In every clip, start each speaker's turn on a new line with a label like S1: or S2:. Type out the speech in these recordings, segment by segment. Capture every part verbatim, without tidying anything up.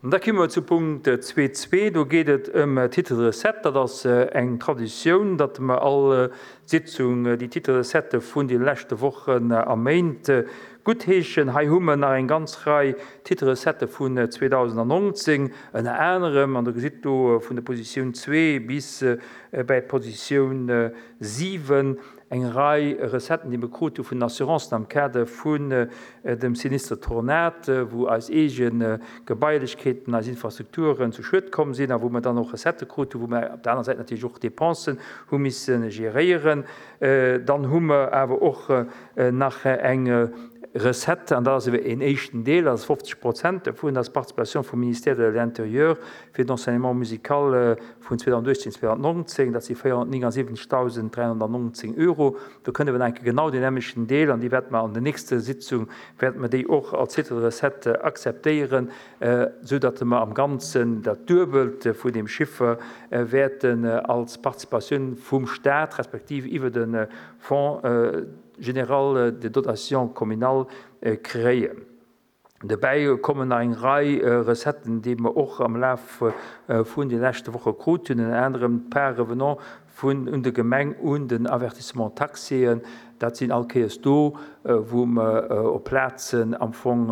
S1: An da komme mer zu Punkt zwee zwee. Do geet et ëm Titre de recette. Dat ass eng Traditioun, datt mer all Sitzung déi Titre de recette vun de leschte Wochen a Méint guttheeschen. Hei hu mer nach eng ganz Rei Titre de recette vun zweedausendnonzéng, ënner anerem, an der gesitt do vun der Positioun zwee bis bäi d'Positioun siwen, eng Rei Recetten, déi mir krut hu vun den Assurancen am Kader vun dem Sinistre Tornade, wou eis eege Gebailechkeeten, eis Infrastrukturen zu Schued komm sinn a wou mir dann och Recettë krut hu, wou mir op der aner Säit natierlech och Dépensen hu misse geréieren. Dann hu mer awer och nach eng Recette, an dat ass een éischten Deel, dat ass fofzeg Prozent dovun, dat ass d'Participation vum Ministère de l'Intérieur fir d'Enseignement musical vun zweedausendachtzehn, zweedausendnonzéng, dat si véierhonnertnéngundsiwwenzegdausend dräihonnertnonzéng Euro. Do kënne wir enke genau den nämlechen Deel, an déi wäerte mer an der nächsten Sitzung, wäerte mer déi och als Titre de recette akzeptéieren, sou datt mer am Ganzen dat Duebelt vun dem Chiffre wäerten als Participatioun vum Staat, respektiv iwwer de Fonds général de dotation communale kréien. Dobäi kommen nach eng Rei Recetten, déi mer och am Laf vun de leschte Woche krut hunn, ënner anerem d'Part revenant vun un der Gemeng un den Avertissement taxéen. Dat sinn all Kéiers do, wou mer op Plazen am Fong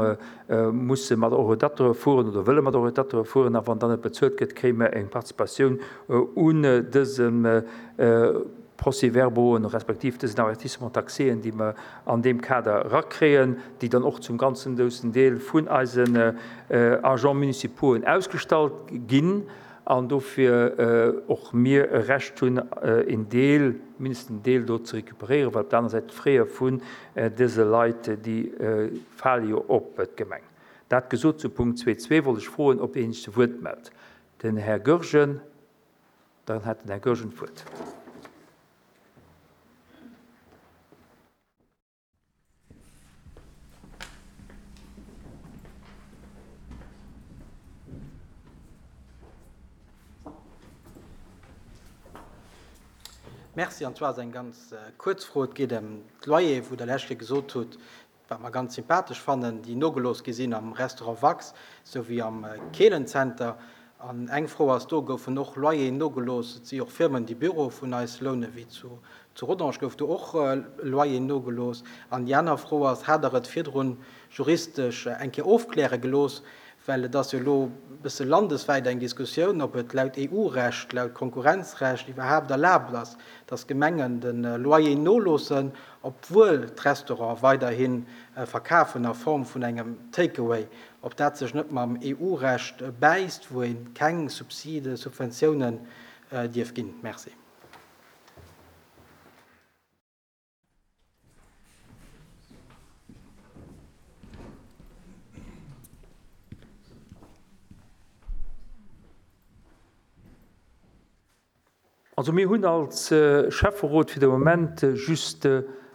S1: musse mat Orientatore fueren oder wëlle mat Orientatore fueren, a wann dann net bezuelt gëtt, kréie mer eng Participatioun un dësem Procès-verbauen, respektiv dësen Avertissement taxéen, déi mer an deem Kader rakréien, déi dann och zum ganzen groussen Deel vun eisen Agents municipaux ausgestallt ginn, an dofir och mir e Recht hunn, en Deel, mindestens en Deel do ze récupéréieren, well op der aner Säit d'Frais vun dëse Leit, déi fale jo op d'Gemeng. Dat gesot zu Punkt zwee zwee wollt ech froen, ob een sech zu Wuert mellt. Den Här Goergen, dann hat den Här Goergen d'Wuert.
S2: Merci, an zwar ass eng ganz kuerz Fro. Et geet ëm d'Loyer, wou Der lescht Kéier gesot hutt, wat mer ganz sympathesch fannen, déi nogelooss gi sinn am Restaurant Wax souwéi am Keelenzenter. An eng Fro ass do, goufen och Loyeren nogelooss? Et si och Firmen, déi Büro vun eis lounen, wéi zu, zu Rodange gouf do och Loyer nogelooss. An déi aner Fro ass, hat Der et virdrun juristesch eng Kéier ofkläre gelooss, well et ass jo elo e bësse landeswäit eng Diskussioun, ob et laut E U-Recht, laut Konkurrenzrecht iwwerhaapt erlaabt ass, dass Gemengen de Loyer noloossen, obwuel d'Restaurant weiderhi verkafen a Form vun engem Takeaway, ob dat sech net mam E U-Recht bäisst, wou ee keng Subside, Subventiounen dierf ginn. Merci.
S1: Also mir hunn als Schäfferot fir de Moment just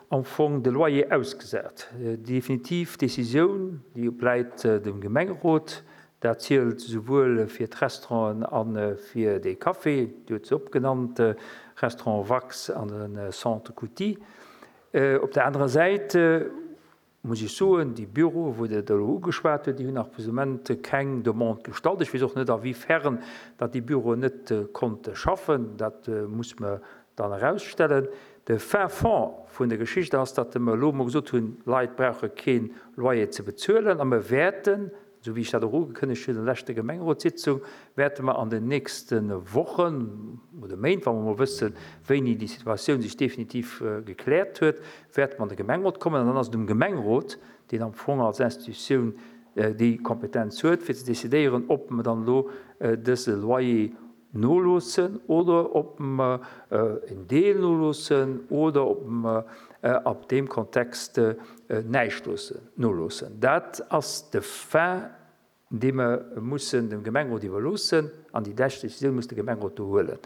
S1: am Fong de Loyer ausgesat. Déi definitiv Décisioun, déi bleift dem Gemengerot. Dat zielt souwuel fir d'Restauranten a fir de Café, Dir hutt se opgenannt, Restaurant Wax an de Centre Couty. Op der anerer Säit muss ech soen, déi Büroe, wou Der elo ugeschwat hutt, déi hunn nach bis Moment keng Demande gestallt. Ech weess och net, a wéi fern datt déi Büroen net konnte schaffen. Dat muss mer dann erausstellen. De fin fond vun der Geschicht ass, datt mer elo mol gesot hunn, Leit brauche keen Loyer ze bezuelen a mer wäerten, esou wéi ech dat och ugekënnegt hunn an der leschter Gemengerotssitzung, wäerte mer an den nächste Wochen oder Méint, wa mer mol wëssen, wéini déi Situatioun sech definitiv gekläert huet, wäerte mer an de Gemengerot kommen. An dann ass et um Gemengerot, deen am Fong als Institutioun déi Kompetenz huet, fir ze decidéieren, ob mer dann elo dëse Loyer noloossen oder ob mer en Deel noloossen oder ob mer ab deem Kontext näischt noloossen. Dat ass de Fin, dee mer mussen dem Gemengerot iwwerloossen, an déi lescht Décisioun muss de Gemengerot do huelen.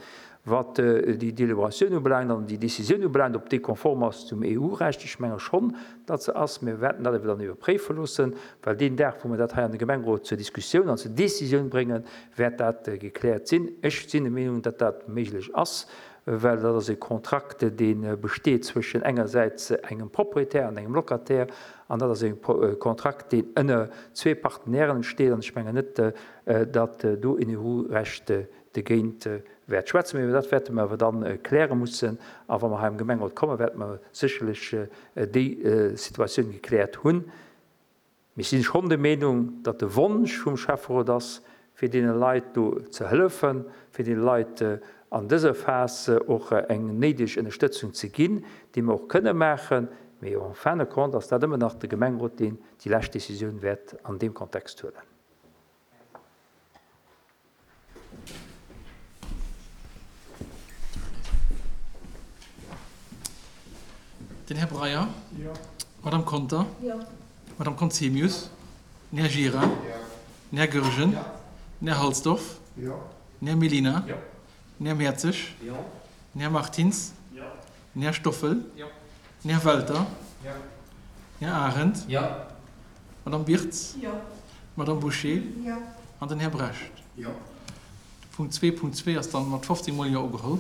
S1: Wat déi Deliberatioun ubelaangt an déi Décisioun ubelaangt, ob déi konform ass zum E U-Recht, ech menge schonn, datt se ass. Mir wäerten dat awer dann iwwerpréife loossen, well deen Dag, wou mer dat hei an de Gemengerot zur Diskussioun an zur Décisioun bréngen, wäert dat gekläert sinn. Ech sinn der Meenung, datt dat méiglech ass. well dat ass e Kontrakt, dee besteet zwëschen engersäits engem Proprietär an engem Locataire, an dat ass e Kontrakt, deen ënner zwee Partenairen entsteet, an ech mengen net, datt do een EU-Recht dogéint wäert schwätzen. Mee dat wäerte mer awer dann kläre mussen, a wa mer hei am Gemengerot kommen, wäerte mer sécherlech déi Situatioun gekläert hunn. Mee ech si schonn der Meenung, datt de Wonsch vum Schäfferot ass, fir deene Leit do ze hëllefen, fir deene Leit an dëser Phas och eng néideg Ënnerstëtzung ze ginn, déi mer och kënne maachen. Mee en fin de compte ass dat ëmmer nach de Gemengerot, deen déi lescht Décisioun wäert an deem Kontext huelen.
S3: Den Här Breyer. Jo. D'Madame Conter. Jo. D'Madame Conzemius. Den Här Gira. Jo. Den Här Goergen. Jo. Den Här Halsdorf. Jo. Den Här Mellina. Jo. Den Här Mertzig. Jo. Den Här Martins. Jo. Den Här Stoffel. Jo. Den Här Welter. Jo. Den Här Arendt. Jo. D'Madame Birtz. Jo. D'Madame Bouché. Jo. An den Här Brecht. Jo. De Punkt zwee Punkt zwee ass dann mat fofzéng mol Jo ugeholl.